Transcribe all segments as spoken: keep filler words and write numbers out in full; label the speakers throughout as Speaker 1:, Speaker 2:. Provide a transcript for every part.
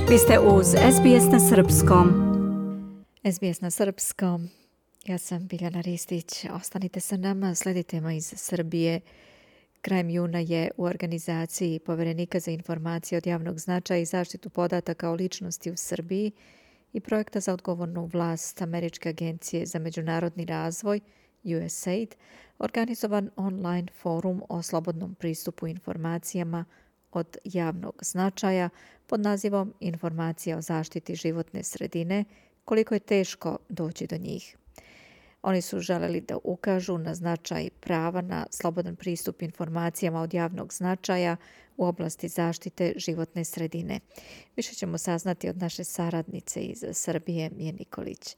Speaker 1: Vi ste uz S B S na Srpskom. S B S na Srpskom. Ja sam Biljana Ristić. Ostanite sa nama, sledite me iz Srbije. Krajem juna je u organizaciji Poverenika za informacije od javnog značaja i zaštitu podataka o ličnosti u Srbiji i projekta za odgovornu vlast Američke agencije za međunarodni razvoj U S A I D organizovan online forum o slobodnom pristupu informacijama od javnog značaja pod nazivom Informacija o zaštiti životne sredine, koliko je teško doći do njih. Oni su želeli da ukažu na značaj prava na slobodan pristup informacijama od javnog značaja u oblasti zaštite životne sredine. Više ćemo saznati od naše saradnice iz Srbije, Mije Nikolić.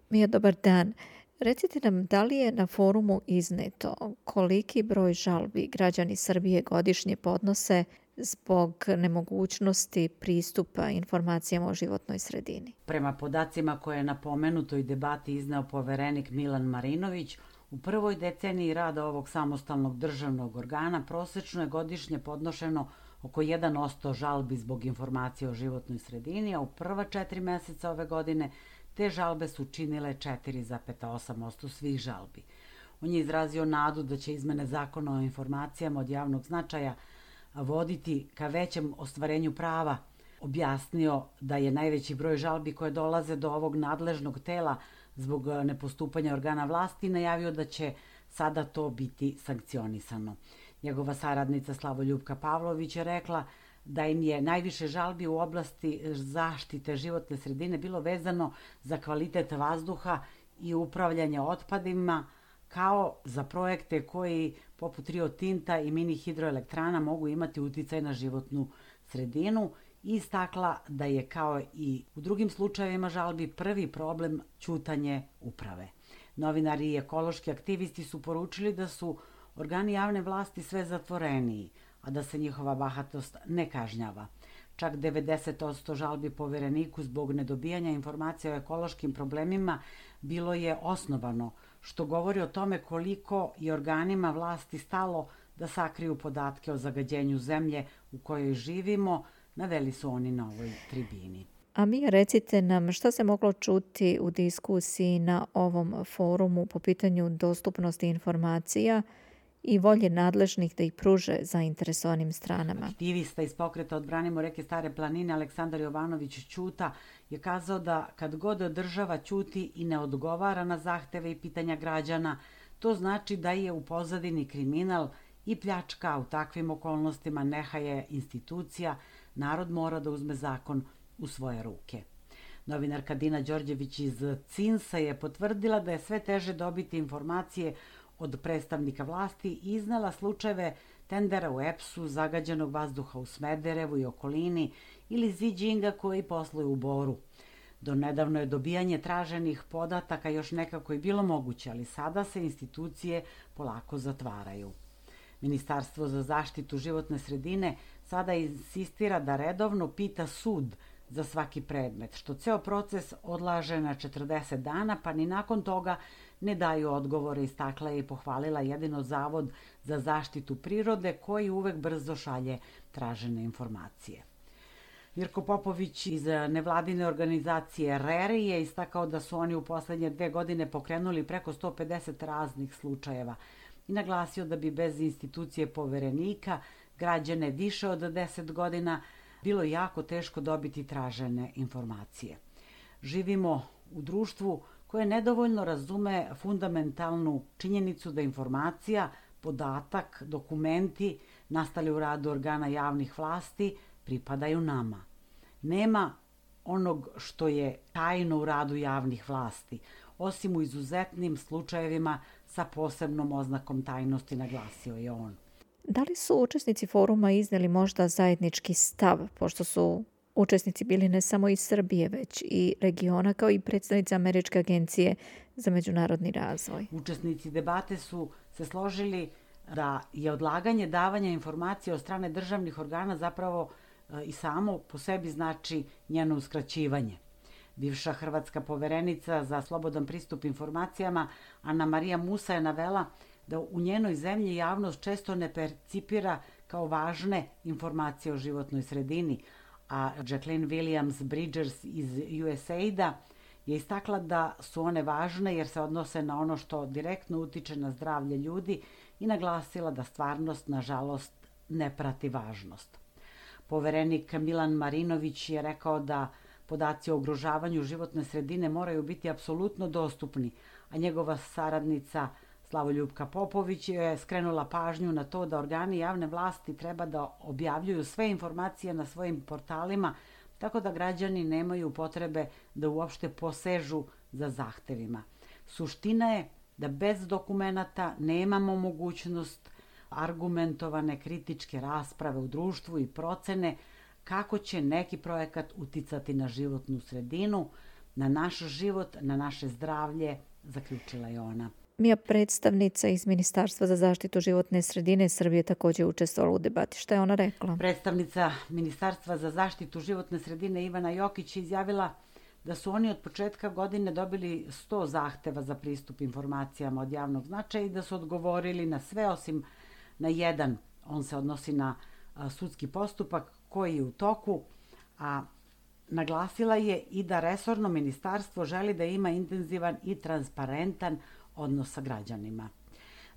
Speaker 1: Mija, dobar dan. Recite nam, da li je na forumu izneto koliki broj žalbi građani Srbije godišnje podnose zbog nemogućnosti pristupa informacijama o životnoj sredini?
Speaker 2: Prema podacima koje je na pomenutoj debati izneo poverenik Milan Marinović, u prvoj deceniji rada ovog samostalnog državnog organa prosečno je godišnje podnošeno oko jedan posto žalbi zbog informacija o životnoj sredini, a u prva četiri meseca ove godine te žalbe su činile četiri zarez osam posto svih žalbi. On je izrazio nadu da će izmene zakona o informacijama od javnog značaja voditi ka većem ostvarenju prava. Objasnio da je najveći broj žalbi koje dolaze do ovog nadležnog tela zbog nepostupanja organa vlasti najavio da će sada to biti sankcionisano. Njegova saradnica Slavoljupka Pavlović je rekla da im je najviše žalbi u oblasti zaštite životne sredine bilo vezano za kvalitet vazduha i upravljanje otpadima, kao za projekte koji poput Rio Tinta i mini hidroelektrana mogu imati uticaj na životnu sredinu i istakla da je kao i u drugim slučajevima žalbi prvi problem ćutanje uprave. Novinari i ekološki aktivisti su poručili da su organi javne vlasti sve zatvoreniji, a da se njihova bahatost ne kažnjava. Čak devedeset posto žalbi povereniku zbog nedobijanja informacija o ekološkim problemima bilo je osnovano, što govori o tome koliko je organima vlasti stalo da sakriju podatke o zagađenju zemlje u kojoj živimo, naveli su oni na ovoj tribini.
Speaker 1: A Mija, recite nam šta se moglo čuti u diskusiji na ovom forumu po pitanju dostupnosti informacija i volje nadležnih da ih pruže zainteresovanim stranama.
Speaker 2: Aktivista iz pokreta Odbranimo reke Stare planine Aleksandar Jovanović Ćuta je kazao da kad god država ćuti i ne odgovara na zahteve i pitanja građana, to znači da je u pozadini kriminal i pljačka. U takvim okolnostima nehaje institucija, narod mora da uzme zakon u svoje ruke. Novinarka Dina Đorđević iz Cinsa je potvrdila da je sve teže dobiti informacije od predstavnika vlasti i iznala slučajeve tendera u E P S-u, zagađenog vazduha u Smederevu i okolini ili Ziđinga koji posluju u Boru. Do nedavno je dobijanje traženih podataka još nekako i bilo moguće, ali sada se institucije polako zatvaraju. Ministarstvo za zaštitu životne sredine sada insistira da redovno pita sud za svaki predmet, što ceo proces odlaže na četrdeset dana, pa ni nakon toga ne daju odgovore, istakla je i pohvalila jedino Zavod za zaštitu prirode koji uvek brzo šalje tražene informacije. Mirko Popović iz nevladine organizacije R E R I je istakao da su oni u poslednje dve godine pokrenuli preko sto pedeset raznih slučajeva i naglasio da bi bez institucije poverenika građane više od deset godina bilo jako teško dobiti tražene informacije. Živimo u društvu koje nedovoljno razume fundamentalnu činjenicu da informacija, podatak, dokumenti nastali u radu organa javnih vlasti pripadaju nama. Nema onog što je tajno u radu javnih vlasti, osim u izuzetnim slučajevima sa posebnom oznakom tajnosti, naglasio je on.
Speaker 1: Da li su učesnici foruma izneli možda zajednički stav, pošto su učesnici bili ne samo iz Srbije, već i regiona, kao i predstavnici Američke agencije za međunarodni razvoj?
Speaker 2: Učesnici debate su se složili da je odlaganje davanja informacija od strane državnih organa zapravo i samo po sebi znači njeno uskraćivanje. Bivša hrvatska poverenica za slobodan pristup informacijama Ana Marija Musa je navela da u njenoj zemlji javnost često ne percipira kao važne informacije o životnoj sredini, a Jacqueline Williams Bridgers iz U S A I D-a je istakla da su one važne jer se odnose na ono što direktno utiče na zdravlje ljudi i naglasila da stvarnost, nažalost, ne prati važnost. Poverenik Milan Marinović je rekao da podaci o ugrožavanju životne sredine moraju biti apsolutno dostupni, a njegova saradnica Slavoljupka Popović je skrenula pažnju na to da organi javne vlasti treba da objavljuju sve informacije na svojim portalima, tako da građani nemaju potrebe da uopšte posežu za zahtevima. Suština je da bez dokumenata nemamo mogućnost argumentovane kritičke rasprave u društvu i procene kako će neki projekat uticati na životnu sredinu, na naš život, na naše zdravlje, zaključila je ona.
Speaker 1: Mija, predstavnica iz Ministarstva za zaštitu životne sredine Srbije, također učestvovala u debati. Šta je ona rekla?
Speaker 2: Predstavnica Ministarstva za zaštitu životne sredine Ivana Jokić je izjavila da su oni od početka godine dobili sto zahteva za pristup informacijama od javnog značaja i da su odgovorili na sve osim na jedan. On se odnosi na sudski postupak koji je u toku, a naglasila je i da resorno ministarstvo želi da ima intenzivan i transparentan odnos sa građanima.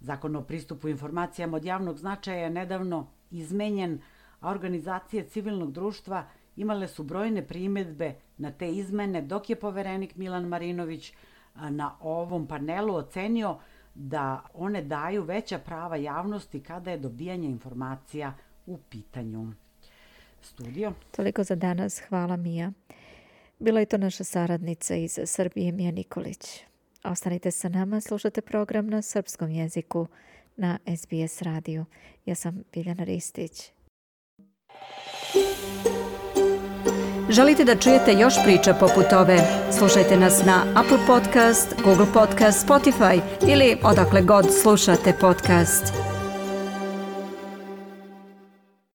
Speaker 2: Zakon o pristupu informacijama od javnog značaja je nedavno izmenjen, a organizacije civilnog društva imale su brojne primjedbe na te izmene, dok je poverenik Milan Marinović na ovom panelu ocenio da one daju veća prava javnosti kada je dobijanje informacija u pitanju. Studio.
Speaker 1: Toliko za danas. Hvala, Mija. Bila je to naša saradnica iz Srbije, Mija Nikolić. Ostanite sa nama, slušate program na srpskom jeziku na S B S radiju. Ja sam Biljana Ristić.
Speaker 3: Želite da čujete još priča poput ove? Slušajte nas na Apple Podcast, Google Podcast, Spotify ili odakle god slušate podcast.